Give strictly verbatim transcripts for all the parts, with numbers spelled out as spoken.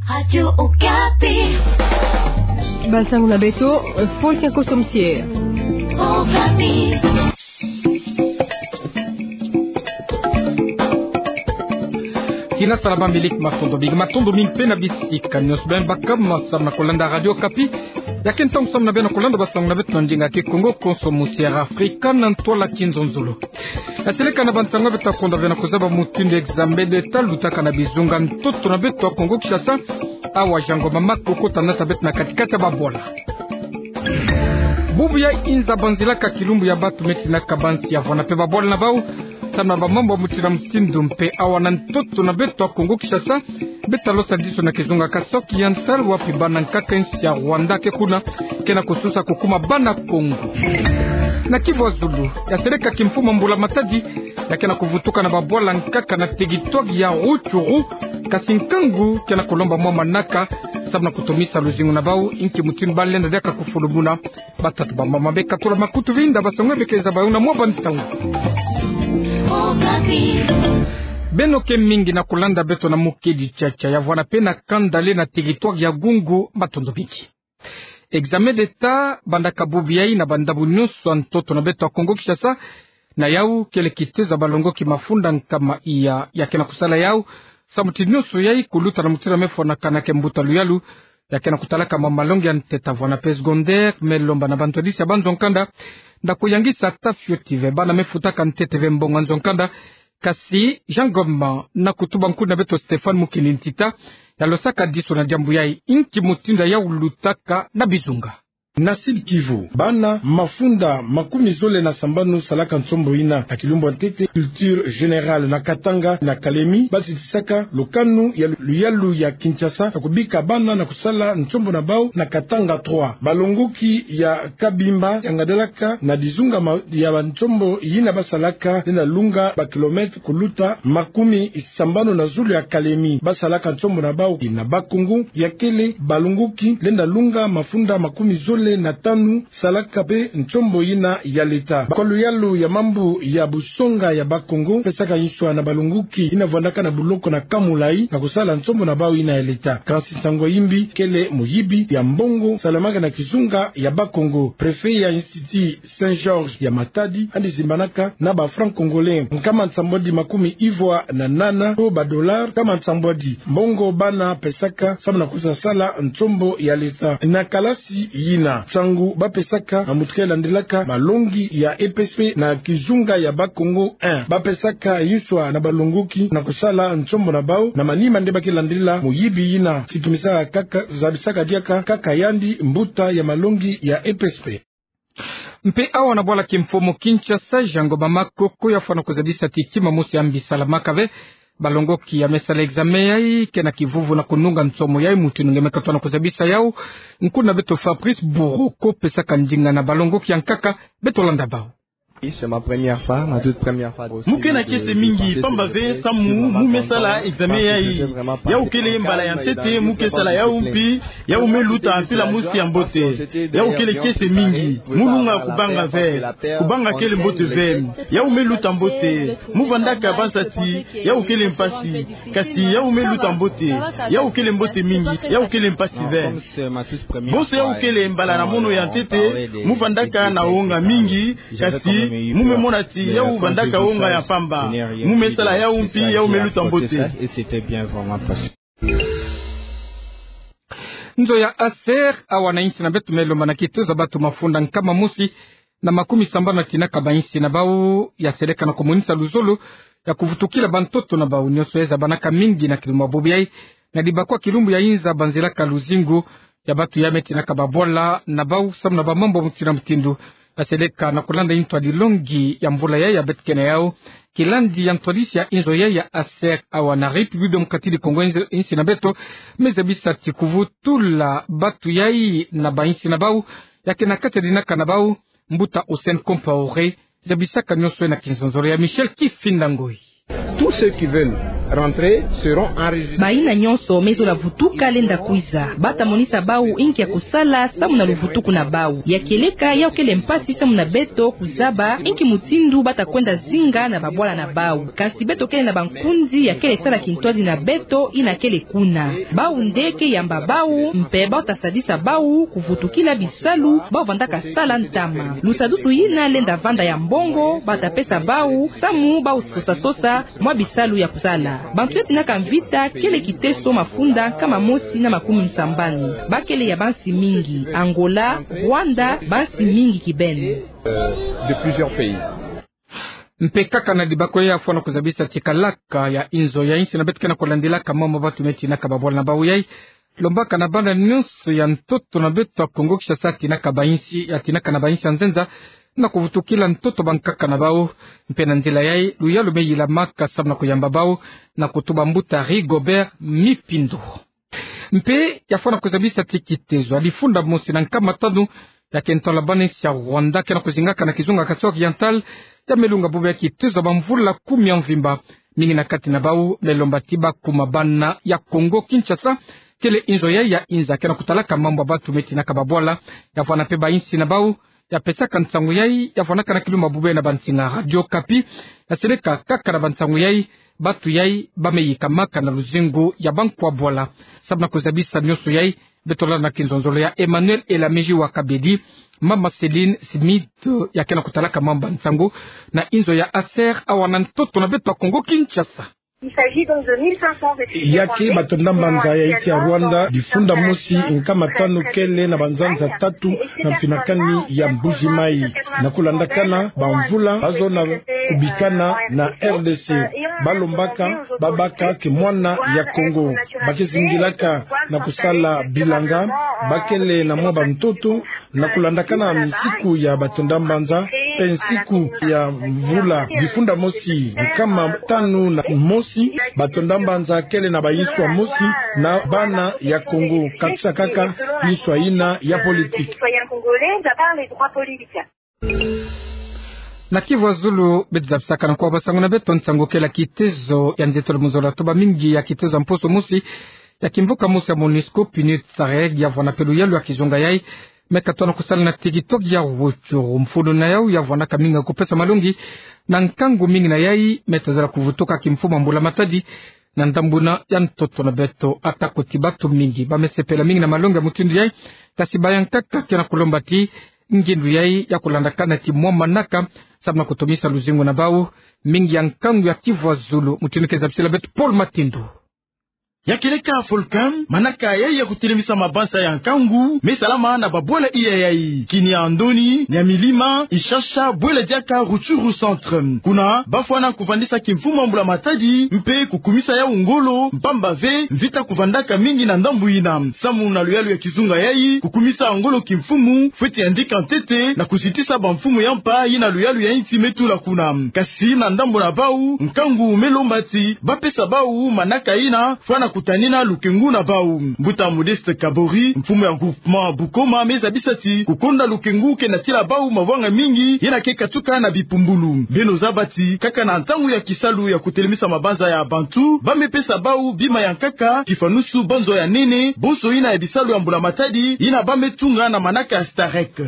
Radio Okapi. Bansango na beto, Paul Kiakoso Msier. Okapi. Kina sala ba miliki matondo mingi, matondo mingi mpe na bisika nyonso beno baka ma samu na kolanda Radio Okapi. Ya ke ntangu samu na beno na kolanda bansango na beto na ndinga ya Kikongo, konso musi ya Afrika na ntwala kinzonzolo. Yaseleka na bansango beto ta konda beno na kozaba mutindu examen d'État lutaka na bizunga ntoto na beto ya Kongo Kinshasa. Awa Jean Ngoma Makoko ta nata beto na katikati ya babwala. Bubu ya inza banzilaka kilumbu ya batu me tinaka bansi ya vwanda mpe babwala na bau samu na bamambu ya mutindu na mutindu. Mpe awa na ntoto na beto ya Kongo Kinshasa, beto ta losa diso na kizunga Kasai Oriental, wapi bana nkaka insi ya Rwanda ke kuna, ke na kosusa kokuma bana Kongo. Na Kivu ya Zulu, yaseleka kimfumu Mbula Matadi, ya ke na kovutuka na babwala nkaka na teritware ya Rutshuru, kasi nkangu ke na kolomba mwa manaka samu na kotomisa luzingu na bau, inki mutindu ba lenda diaka kofulumuna. Batata, bamama, bekatula makutu, vinda bansango beke zaba yo na mwa bansango. Beno ke mingi na kolanda beto na mukedi tiatia ya vwanda mpe na kanda le na teritware ya Gungu, matondo mingi. Examen d'État bandaka bubu yai na bandambu nyonso ya ntoto na beto ya Kongo Kinshasa. Na yau kele kitezo ya balongoki mafunda nkama iya ya ke na kosala yau samu ti nyonso yai koluta na mutindu ya me fwanakana ke mbuta luyalu ya ke na kotalaka mwa malongi ya ntete ya vwanda mpe secondaire me lomba na bantwadisi ya banzo ya nkanda nda koyangisa ata fioti ve bana me futaka ntete ve mbongo ya nzo ya nkanda. Kasi Jean Ngoma na kutuba nkuna beto Stéphane Mukini Ntita yalosaka diso na diambu yai, inki mutindu yau lutaka na bizunga. Na Sud-Kivu, bana mafunda makumi zole na sambanu salaka nsombo ina na kilumbu ya ntete, culture générale, na Katanga na Kalemi, batitisaka lukanu ya lu-, luyalu ya Kinshasa na kobika bana na kosala nsombo na bau na Katanga trois. Balongoki ya Kabimba yangadalaka na dizunga ma-, ya bansombo yina basalaka, lenda lunga bakilomètre koluta makumi sambanu na zulu ya Kalemi. Basalaka nsombo na bau na Bas-Congo, ya kele balongoki lenda lunga mafunda makumi zole na tanu salaka mpe nsombo yina ya leta. Kwa luyalu ya mambu ya busonga ya Bas-Congo, pesaka nswa na balongoki yina vwandaka na buloko na kâ mulayi na kosala nsombo na bau yina ya leta. Kasi nsangu ya yimbi kele muyibi ya mbongo salamaka na kizunga ya Bas-Congo. Préfet ya Institut Saint-Georges ya Matadi yandi zimbanaka na ba francs congolais nkama nsambwadi makumi ivwa na nana to ba dollars nkama nsambwadi, mbongo bana pesaka samu na kwiza sala nsombo ya leta. Na kalasi yina, nsangu bapesaka na mutuka yalandelaka malongi ya E P S P na kizunga ya Bas-Congo un. Bapesaka nswa na balongoki na kosala nsombo na bau na manima nde ba ke landila muyibi yina. Sikimisaka kaka, zabisaka diaka kaka yandi mbuta ya malongi ya E P S P. Mpe awa na bwala kimfumu Kinshasa, Jean Ngoma Makoko yafwana kozabisa ti kima mosi ya mbi salamaka ve. Balongoki ya me sala examen yai ke na kivuvu na konunga nsomo yai, mutindu nge me katona kozabisa yau. Nkuna beto Fabrice Buroko pesaka ndinga na balongoki ya nkaka, beto landa bau. Oui, c'est ma première fois, ma toute première fois aussi. Mu ke na kiese mingi, pamba ve samu mu me sala examen yai. Yau kele mbala ya ntete mu ke sala yau, mpi yau me luta mpila mosi ya mbote. Yau kele kiese mingi, mu lunga kubanga ve. Kubanga kele mbote ve. Yau me luta mbote. Mu vandaka banza ti yau kele mpasi. Kasi yau me luta mbote. Yau kele mbote mingi. Yau kele mpasi ve. Bonso yau kele mbala na mono ya ntete mu vandaka na wonga mingi. Kasi mu me mona ti yau vandaka wonga ya pamba. Mu me sala yau, mpi yau me luta mbote. Nzo ya ASER awa na insi na beto me lomba na kitezo ya bato mafunda nkama mosi na makumi sambanu na tinaka bainsi na bau, ya seleka na komonisa luzolo ya kovutukila bantoto na bau nyonso ya zabanaka mingi na kilumbu ya bobo yai, na dibakwa kilumbu ya inza banzelaka luzingu ya bato ya me tinaka babwala na bau samu na bamambu ya mutindu na mutindu. Ya seleka na kolanda intwadi longi ya mvula yai ya beto ke na yau, kilandi ya ntwadisi ya inzo yai ya ASER awa na République Démocratique du Congo, insi na beto me zabisa ti kuvutula bato yai na bainsi na bau, ya ke na kati ya dinaka na bau. Mbuta Hussein Compaoré zabisaka nyonso na kinzonzolo ya Michel Kifinda Ngoi. Tous ceux qui veulent Bayina nyonso me zola vutuka lenda kwiza. Bata monisa bawu inki ya kusala samu na luvutuku na bawu. Ya kieleka, yawu kele mpasi samu na beto kuzaba inki mutindu bata kwenda zinga na babwala na bawu. Kansi beto kele na bankunzi ya kele sala kintwadi na beto, yina kele kuna. Bawu nde ke yamba bawu, mpe bata sadisa bawu kuvutukila bisalu bawu vandaka sala ntama. Lusadusu yina lenda vanda ya mbongo bata pesa bawu, samu bawu sosa-sosa mwa bisalu ya kusala. Bantu ya tinaka mvita kele Kiteso mafunda nkama mosi na makumi nsambanu. Ba kele ya bansi mingi: Angola, Rwanda, bansi mingi kibeni. Mpe kaka na dibako ya fwana kuzabisa ti kalaka ya inzo ya insi na beto ke na kulandilaka mambu ya bantu me tinaka babwala na bawu yai, lombaka na bana nyonso ya ntoto na beto ya Kongo Kinshasa, tinaka ba insi, ya tinaka na ba insi ya nzenza, na kuvutukila ntoto bankaka na bawu. Mpe na nzila yai, luyalu me yilamaka samu na kuyamba bawu, na kutuba mbuta Rigobert Mipindu. Mpe ya fwana kuzabisa ti kitezo ya difunda mosi na nkama tanu ya kento la bana insi ya Rwanda ke na kuzingaka na kizunga Kasai Oriental, ya me lunga bubu ya kitezo ya bamvula kumi ya mvimba. Mingi na kati na bawu me lomba ti bakuma bana ya Kongo Kinshasa, kele inzo yai ya inza ke na kutalaka mambu ya bantu me tinaka babwala. Ya fwana mpe ba insi na bawu ya pesaka nsangu yai, ya fwanaka na kilumbu bubu na bansinga Radio Okapi, ya seleka kaka na bansangu yai, bantu yai ba me yikamaka na luzingu ya bankwa bwala. Samu na kuzabisa nyonso yai, beto landa na kinzonzolo ya Emmanuel Elamiji wa Kabedi, mama Céline Smith, ya ke na kutalaka mambu ya nsangu na inzo ya Aser, awa na ntoto na beto ya Kongo Kinshasa. Ya ke batonda mbanza ya insi ya Rwanda, difunda mosi nkama tanu kele na banzanza tatu na mfinakani ya Mbuji Mayi. Na kulandakana bamvula bazo na kubikana na R D C, ba lombaka babaka kimwana ya Kongo. Ba ke zingilaka na kusala bilanga, ba kele na mwa bantoto, na kulandakana misiku ya batonda mbanza, mpe nsiku ya mvula difunda mosi nkama tanu na mosi, batonda mbanza kele na bayinswa mosi na bana ya Kongo, katisa kaka yinswa yina ya politique. Na Kivu ya Zulu, beto zabisaka na nkwa basangu na beto nsangu kele kitezo ya nzietolo mu nzola toba mingi ya kitezo ya mposo mosi ya kimvuka mosi ya MONUSCO, PNUD, SAREG, ya vwana mpe luyalu ya kizunga yai, me katono kusala na tikitoki ya Rutshuru. Mfunu na yawu ya vwanaka mingi kupesa malongi na nkangu mingi na yai me tazala kuvutuka kimfumu ya mbula matadi na ndambu yina ya ntoto na beto. Ata kuti bantu mingi ba me sepela mingi na malongi ya mutindu yai, kasi bayankaka ke na kulomba ti ngindu yai ya kulandakana ti mwa manaka, samu na kutumisa luzingu na bawu. Mingi ya nkangu ya Kivu ya Zulu, mutindu ke zabisila beto Paul Matindo. Ya kieleka Folcam, manaka yai ya kutelemisa mabanza ya nkangu me salama na babwala iya yai: Kiniandoni, Nyamilima, Ishasha, Bwele Diaka, Rutshuru Centre. Kuna ba fwana kuvandisa kimfumu ya mbula matadi mpe kukumisa yawu ngolo, mpamba ve mvita kuvandaka mingi na ndambu yina. Samu na luyalu ya kizunga yai, kukumisa ngolo kimfumu fweti yandika ntete na kuzitisa bamfumu ya mpa yina luyalu ya insi me tula kuna. Kasi na ndambu na bawu, nkangu me lomba ti ba pesa bawu manaka yina fwana kutanina lukengu na bawu. Mbuta Modeste Kabori, mfumu ya groupement Bukoma, me zabisa ti kukonda lukengu ke natila bawu mabwanga mingi yina ke katuka na bipumbulu. Beno zaba ti kaka na ntangu ya kisalu ya kutelemisa mabanza ya bantu, ba me pesa bawu bima ya nkaka, kifanusu banzo ya nene, bonso yina ya bisalu ya mbula matadi yina ba me tunga na manaka ya STAREC.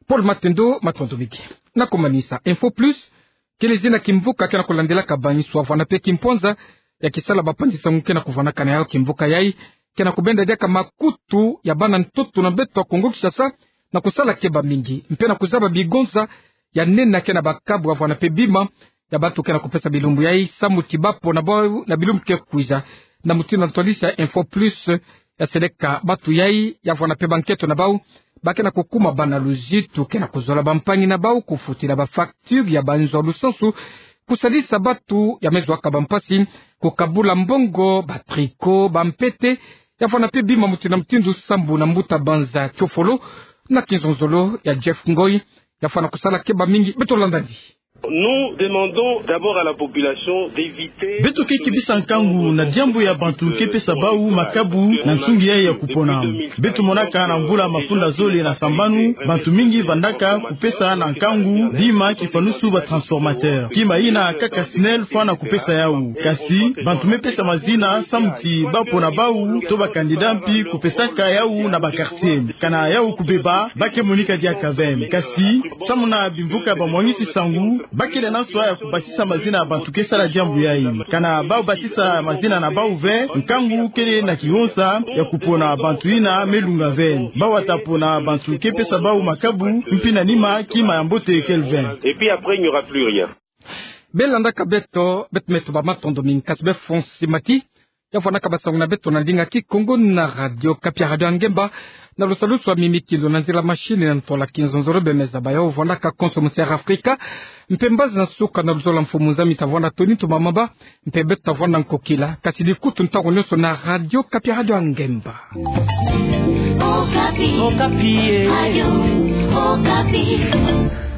Paul Matindo, matondo mingi. Na kumanisa, Info Plus kele zina kimvuka ke na kulandilaka bayinswa vwana mpe kimpwanza ya kisala bapanzi-nsangu ke na kuvwanaka na yawu. Kimvuka yai ke na kubenda diaka makutu ya bana ntoto na beto ya Kongo Kinshasa na kusala keba mingi mpe na kuzaba bigonza ya nene ya ke na bakabu ya vwana mpe bima ya bantu ke na kupesa bilumbu yai, samu ti ba pona bawu na bilumbu ke kwiza. Na mutindu ya ntwadisi ya Info Plus, ya seleka bantu yai ya vwana mpe bankento na bawu ba ke na kukuma bana luzitu ke na kuzola bampangi na bawu, kufutila bafacture ya banzo ya lusansu, kusalisa bantu ya me zwaka bampasi, kukabula mbongo, batricot, bampete, ya vwana mpe bima mutindu na mutindu, sambu na mbuta banza Kiofolo na kinzonzolo ya Jeff Ngoy, ya fwana kusala keba mingi. Beto landani. Nous demandons d'abord à la population d'éviter. Beto ke kebisa nkangu na diambu ya bantu ke pesa bau makabu na nsungi yayi ya kupona. Beto monaka na mvula mafunda zole na sambanu, bantu mingi vandaka kupesa na nkangu bima kifanusu ba transformateur. Kima yina kaka SNEL fwana kupesa yau. Kasi bantu me pesa mazina samu ti ba pona bau to ba candidat mpi kupesaka yau na ba quartier. Kana yau kubeba, ba ke monika diaka ve. Kasi samu na bimvuka ba mwangisi nsangu, ba kele na nswa ya kubasisa mazina ya bantu ke sala diambu yayi. Kana bau basisa mazina na bau ve, nkangu kele na kihonsa ya kupona bantu yina me lunga ve. Bau ata pona bantu ke pesa bau makabu, mpi na nima kima ya mbote kele ve. Et puis après, il n'y aura plus rien. Bê landaka beto, beto me tubama matondo mingi. Kasi bê Fonsi Mati ya vwandaka basangu na beto na ndinga Kikongo na Radio Okapi, Radio ya Ngemba, na lusalusu ya mimi kindo na nzila machine na ntola kinzonzolo. Bê me zaba yo vwandaka konso mu Sierra Africa, mpe mbazi na suka na luzolo ya mfumu Nzambi ta vwanda toni tumamaba, mpe beto ta vwanda nkokila. Kasi dikutu ntangu nyonso na Radio Okapi, Radio ya Ngemba. Okapi. Okapi, eh. Radio Okapi.